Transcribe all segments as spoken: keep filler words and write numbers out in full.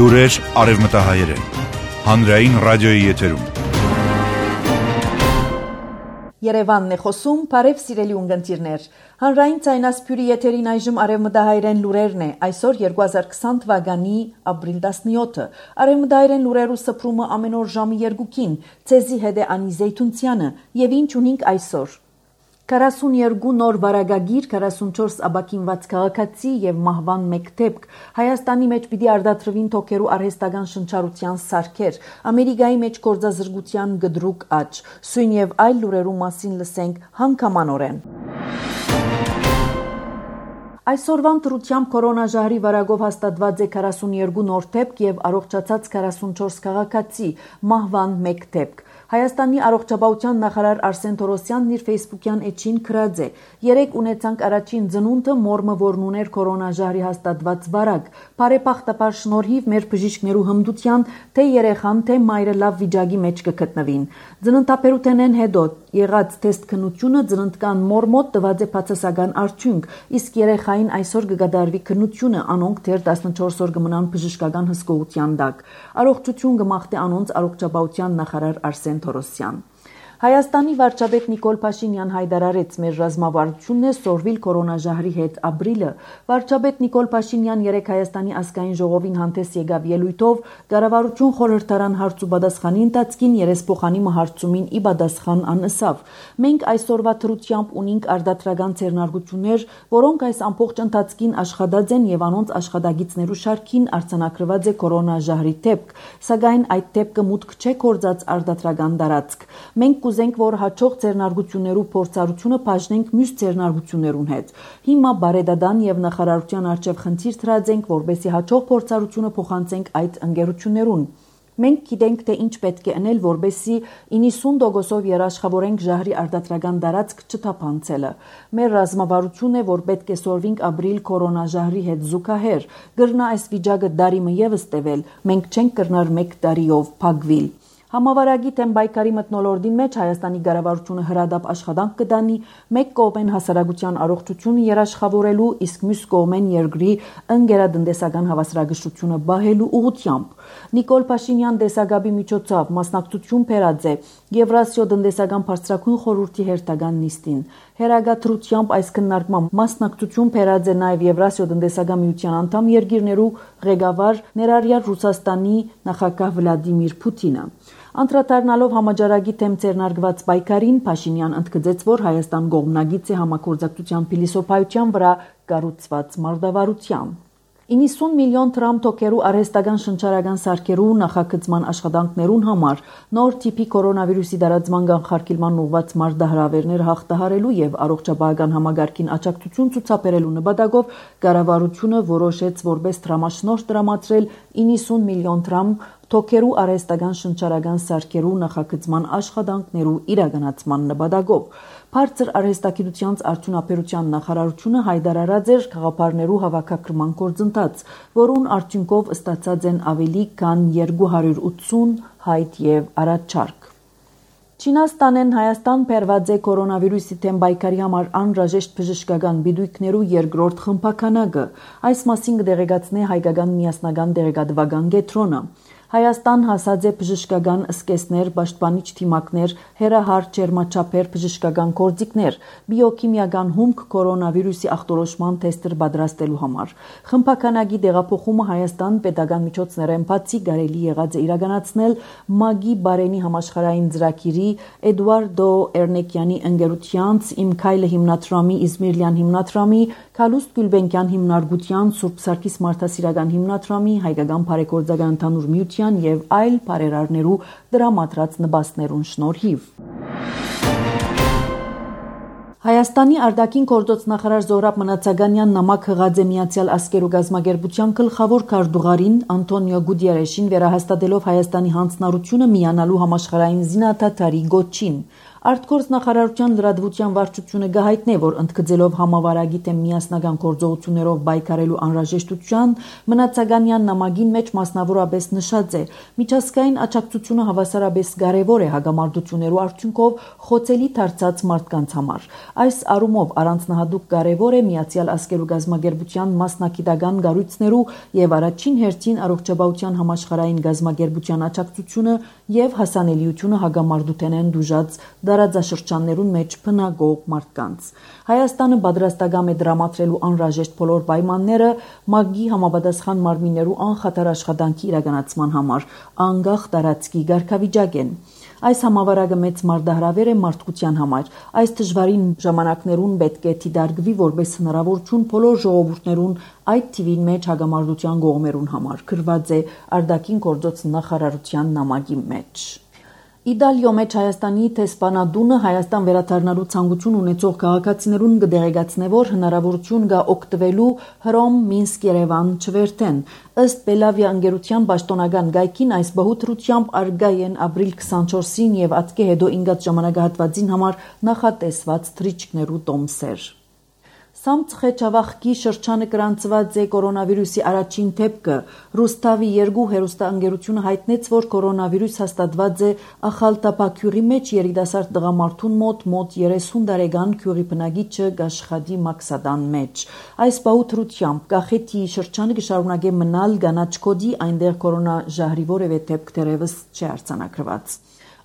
Լուրեր արևմտահայերեն։ Հանրային ռադիոյի եթերում։ Երևանն է խոսում, բարև սիրելի ունգընտիրներ։ Հանրային ցայնասփյուրի եթերին այժմ արևմտահայերեն լուրերն է։ Այսօր երկու հազար քսան թվականի ապրիլ տասնյոթը։ Արևմտահայերեն լուրերու սփռումը ամեն օր ժամի երկուքին։ Ցեզի հետ է Անի Զեյթունցյանը, եւ ինչ ունենք այսօր։ քառասունյոթ նոր վարագագիր, քառասունչորս աբակինված քաղաքացի եւ մահվան մեկ դեպք։ Հայաստանի մեջ պիտի արտադրվին թոքերու արհեստական շնչառության սարքեր, Ամերիկայի մեջ գործազրկության գդրուկ աճ, սույն եւ այլ լուրերու մասին լսենք հանգամանորեն։ Այսօրվան դրությամբ կորոնաժահրի վարակով հաստատված է քառասունյոթ նոր դեպք եւ առողջացած քառասունչորս քաղաքացի, մահվան մեկ դեպք։ Հայաստանի առողջապահության նախարար Արսեն Թորոսյանն իր Facebook-յան էջին գրած է. «Երեք ունեցանք առաջին ծնունդը մորմը, որն ուներ կորոնաժահրի հաստատված վարակ։ Բարեբախտաբար շնորհիվ մեր բժիշկներու հմտության, թե երեխան, թե մայրը լավ վիճակի մեջ կգտնվին։ Ծննդաբերութենեն հետո եղած թեստ քննությունը ծննդկան մորմոտ տված է բացասական արդյունք, իսկ երեխային այսօր կգադարվի քննությունը, անոնք դեռ տասնչորս օր կմնան բժշկական հսկողության տակ։ Առողջություն կմաղթի անոնց առողջապահության նախարար Արսեն Թորոսյան։ Հայաստանի վարչապետ Նիկոլ Փաշինյան հայտարարեց մեր ռազմավարությունն է սորվիլ կորոնաժահրի հետ ապրիլը։ Վարչապետ Նիկոլ Փաշինյան երեք Հայաստանի ազգային ժողովին հանդես եկավ ելույթով կառավարություն խորհրդարան հարց ու պատասխանի ընթացքին երեսփոխանի մահարցումին ի պատասխան անըսավ։ Մենք այսօրվա դրությամբ ունենք արտադրական ձեռնարկություններ, որոնք այս ամբողջ ընթացքին աշխատած են եւ անոնց աշխատագիցներու շարքին արձանագրված է կորոնաժահրի դեպք, սակայն այդ դեպքը մուտք չէ գործած արտադրական տարածք։ Մենք կուզենք, որ հաջող ձեռնարկություններու փորձառությունը բաժնենք մյուս ձեռնարկություններուն հետ։ Հիմա բարեդադան եւ նախարարության արչեւ խնդիր դրած ենք, որպեսզի հաջող փորձառությունը փոխանցենք այդ ընկերություններուն։ Մենք գիտենք, թե ինչ պետք է անել, որպեսզի իննսուն տոկոսով երաշխավորենք ժահրի արտադրական տարածք չթափանցելը։ Մեր ռազմավարությունն է, որ պետք է սորվենք ապրիլ կորոնաժահրի հետ զուգահեռ։ Գրնա այս վիճակը դարիմը եւս տևել։ Մենք չենք կրնար մեկ տարիով փակվիլ։ Համավարակի թեմ բայկարի մթնոլորտին մեջ Հայաստանի կառավարությունը հրադապ աշխատանք կդանի, մեկ կողմեն հասարակության առողջությունը երաշխավորելու, իսկ մյուս կողմեն երկրի ընկերատնտեսական հավասարակշռությունը բահելու ուղղությամբ։ Նիկոլ Փաշինյան տեսակապի միջոցով մասնակցություն բերած է Եվրասիո տնտեսական բարձրագույն խորհրդի հերթական նիստին։ Հերագադրությամբ այս քննարկման մասնակցություն բերած է նաև Եվրասիո տնտեսական միության անդամ երկիրներու ղեկավար ներառյալ Ռուսաստանի նախագահ Վլադիմիր Պուտինը։ Անդրադառնալով համաճարակի թեմ ձեռնարկված պայքարին, Փաշինյան ընդգծեց, որ Հայաստան կողմնակից է համագործակցության փիլիսոփայության վրա կառուցված մարտավարության։ իննսուն միլիոն դրամ թոքերու արհեստական շնչառական սարքերու նախագծման աշխատանքներուն համար նոր տիպի կորոնավիրուսի տարածման կանխարգելման ուղղված մարտահրավերներ հաղթահարելու եւ առողջապահական համագարկին աջակցություն ցուցաբերելու նպատակով կառավարությունը որոշեց որպես դրամաշնորհ տրամադրել իննսուն միլիոն դրամ թոքերու արհեստական շնչառական սարքերու նախագծման աշխատանքներու իրականացման նպատակով։ Բարձր արհեստագիտության արդյունաբերության նախարարությունը հայտարարած էր խաղապարներու հավաքագրման գործընթաց, որուն արդյունքով ստացած են ավելի քան երկու հարյուր ութսուն հայտ եւ առաջարկ։ Չինաստանեն Հայաստան բերված է կորոնավիրուսի թեմ բայկարի համար անհրաժեշտ բժշկական բիդույքներու երկրորդ խմբականակը։ Այս մասին կդեղեկացնի հայկական միասնական դեղեկատվական կենտրոնը։ Հայաստան հասած է բժշկական սկեսներ, պաշտպանիչ թիմակներ, հերահար ջերմաչափեր, բժշկական գործիքներ, բիոքիմիական հումք կորոնավիրուսի ախտորոշման թեստեր պատրաստելու համար։ Խմբականակի տեղափոխումը Հայաստան պետական միջոցներեն բացի կարելի եղած է իրականացնել ՄԱԳ-ի Բարենի համաշխարհային ծրագիրի Էդուարդո Էրնեկյանի ընկերությանց Իմ քայլը հիմնադրամի, Իզմիրլյան հիմնադրամի, Քալուստ Գյուլբենկյան հիմնարկության, Սուրբ Սարգիս մարդասիրական հիմնադրամի, Հայկական բարեգործական ընդհանուր միության եւ այլ բարերարներու դրամատրած նպաստներուն շնորհիվ։ Հայաստանի արտաքին գործոց նախարար Զոհրաբ Մնացականյան նամակ հղած է Միացյալ Ազգերու գազագերբության գլխավոր քարտուղարին Անտոնիո Գուտիերեշին վերահաստատելով Հայաստանի հանձնառությունը միանալու համաշխարհային զինադատարի գոչին։ Արտգործնախարարության լրատվության վարչությունը գահիտնե, որ ընդգծելով համավարակի դեմ միասնական գործողություններով պայքարելու անհրաժեշտության, Մնացականյան նամակին մեջ մասնավորապես նշած է. միջազգային աջակցությունը հավասարապես կարևոր է հագամարտություններու արդյունքով խոցելի դարձած մարդկանց համար։ Այս առումով առանձնահատուկ կարևոր է Միացյալ Ազգերու գազագերբության մասնակիտական կառույցներու եւ առաջին հերթին առողջապահության համաշխարհային գազագերբության աջակցությունը եւ հասանելիությունը հագամարտութենեն դուժած դարաձաշրջաններուն մեջ բնակող մարդկանց։ Հայաստանը պատրաստական է դրամատրելու անհրաժեշտ բոլոր պայմանները ՄԱԳ-ի համապատասխան մարմիններու անխաթար աշխատանքի իրականացման համար, անկախ տարածքի կարգավիճակեն։ Այս համավարակը մեծ մարտահրավեր է մարդկության համար։ Այս դժվարին ժամանակներուն պետք է դիտարկվի որպես հնարավորություն բոլոր ժողովուրդներուն, այդ թիվին մեջ հագամարտության կողմերուն համար, գրված է արտաքին գործոց նախարարության նամակի մեջ։ Իտալիո մեջ Հայաստանի տեսփանադունը Հայաստան վերադառնալու ցանկություն ունեցող քաղաքացիներուն կդեղեկացնե, որ հնարավորություն կա օգտվելու Հռոմ Մինսկ Երևան չվերթեն։ Ըստ Բելավիա ընկերության պաշտոնական գայքին այս բահուտրությամբ արգա են ապրիլ քսանչորսին եւ ատկե հետո ինգած ժամանակահատվածին համար նախատեսված թրիչքներու տոմսեր։ Սամցխեչավախքի շրջանը գրանցված է կորոնավիրուսի առաջին դեպքը։ Ռուստավի երկու հերոստանգերությունը հայտնեց, որ կորոնավիրուս հաստատված է Ախալտապա մեջ երիտասարդ տղամարդուն մոտ մոտ երեսուն տարեկան քյուրի բնակիչը Գաշխատի Մաքսադան մեջ։ Այս բահուտրությամբ Կախեթի շրջանը կշարունակե մնալ կանաչ կոդի, այնտեղ կորոնաժահրի որևէ դեպք դեռևս չի արձանագրված։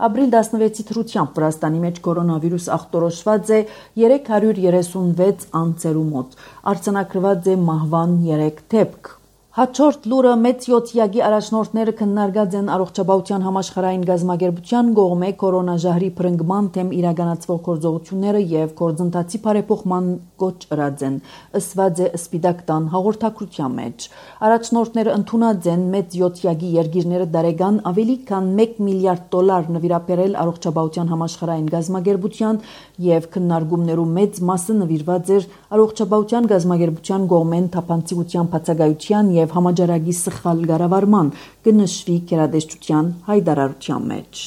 Ապրիլ տասնվեցի թրությամբ Վրաստանի մեջ կորոնավիրուս ախտորոշված է երեք հարյուր երեսունվեց անձերու մոտ, արձանագրված է մահվան երեք դեպք։ Հաջորդ լուրը մեծ յոթյակի առաջնորդները քննարկած են առողջապահության համաշխարհային գազագերբության կողմէ կորոնաժահրի բռնկման դեմ իրականացվող գործողությունները եւ գործընթացի բարեփոխման կոչ ըրած են, ըսված է Սպիտակ տան հաղորդակցության մեջ։ Առաջնորդները ընդունած են մեծ յոթյակի երկիրները դարեգան ավելի քան մեկ միլիարդ դոլար նվիրաբերել առողջապահության համաշխարհային գազագերբության եւ քննարկումներու մեծ մասը նվիրված էր առողջապահության գազագերբության կողմեն թափանցիկության բացակայության եւ համաճարակի սխալ կառավարման կնշվի գերադեսչության հայտարարության մեջ։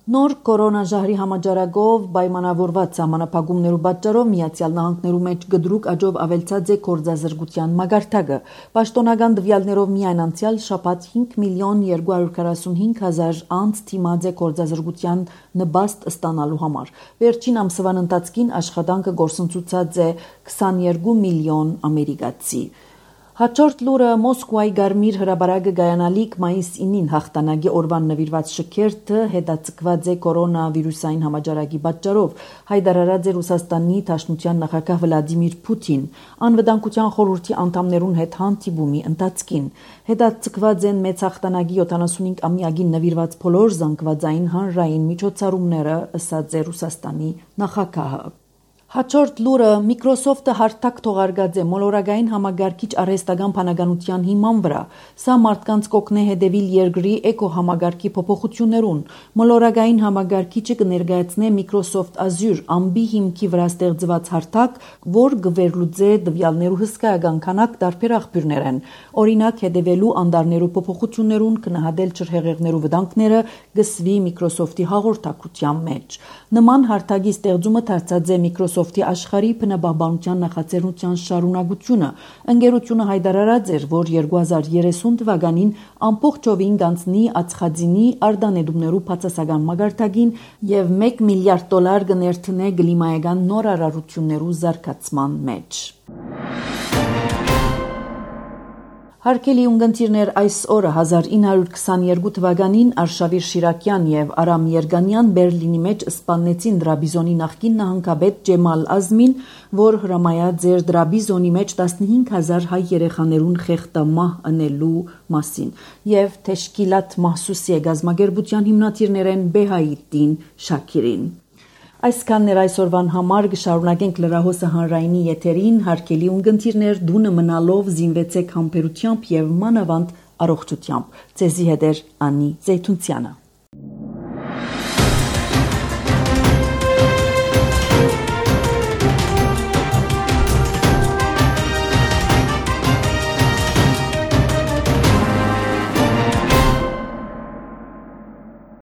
Նոր կորոնաժահրի համաճարակով պայմանավորված սահմանափակումներու պատճառով Միացյալ Նահանգներու մեջ գդրուկ աճով ավելցած է գործազրկության մագարտակը։ Պաշտոնական տվյալներով միայն անցյալ շաբաթ հինգ միլիոն երկու հարյուր քառասունհինգ հազար անց դիմաց է գործազրկության նպաստ ստանալու համար։ Վերջին ամսվան ընթացքին աշխատանքը գործընծուցած է քսաներկու միլիոն ամերիկացի։ Հաջորդ լուրը Մոսկվայի Գարմիր հրաբարակը գայանալիք մայիս ինին հաղթանակի օրվան նվիրված շքերթը հետաձգված է կորոնավիրուսային համաճարակի պատճառով, հայտարարած է Ռուսաստանի Դաշնության նախագահ Վլադիմիր Պուտին անվտանգության խորհրդի անդամներուն հետ հանդիպումի ընթացքին։ Հետաձգված են մեծ հաղթանակի յոթանասունհինգ ամյակին նվիրված բոլոր զանգվածային հանրային միջոցառումները, ըսած է Ռուսաստանի նախագահը։ Հաջորդ լուրը Microsoft-ը հարթակ թողարկած է մոլորակային համագարկիչ արհեստական բանականության հիման վրա։ Սա մարդկանց կօգնե հետևել երկրի էկոհամագարկի փոփոխություններուն։ Մոլորակային համագարկիչը կներկայացնե Microsoft Azure ամբի հիմքի վրա ստեղծված հարթակ, որ կվերլուծե տվյալներու հսկայական քանակ տարբեր աղբյուրներ են։ Օրինակ, հետևելու անդարներու փոփոխություններուն, գնահատել ջրհեղեղներու վտանգները գսվի Microsoft-ի հաղորդակցության մեջ։ Նման հարթակի ստեղծումը դարձած է Microsoft-ի աշխարհի բնապահպանության նախաձեռնության շարունակությունը։ Ընկերությունը հայտարարած էր, որ երկու հազար երեսուն թվականին ամբողջովին կանցնի ածխածնի արտանետումներու բացասական մագարտակին եւ մեկ միլիարդ դոլար կներդնե կլիմայական նորարարություններու զարգացման մեջ։ Հարկելի ունգընտիրներ, այս օրը հազար ինը հարյուր քսաներկու թվականին Արշավիր Շիրակյան եւ Արամ Երգանյան Բերլինի մեջ սպանեցին Դրաբիզոնի նախկին նահանգապետ Ջեմալ Ազմին, որ հրամայած էր Դրաբիզոնի մեջ տասնհինգ հազար հայ երեխաներուն խեղդամահ ընելու մասին եւ Թեշկիլատ Մահսուսի գազագերբության հիմնադիրներեն Բեհայիդին Շաքիրին։ Այսքանն էր այսօրվան համար, կշարունակենք լրահոսը հանրայինի եթերին, հարգելի ունգընտիրներ, դունը մնալով զինվեցեք համբերությամբ եւ մանավանդ առողջությամբ։ Ձեզի հետ էր Անի Զեյթունցյանը։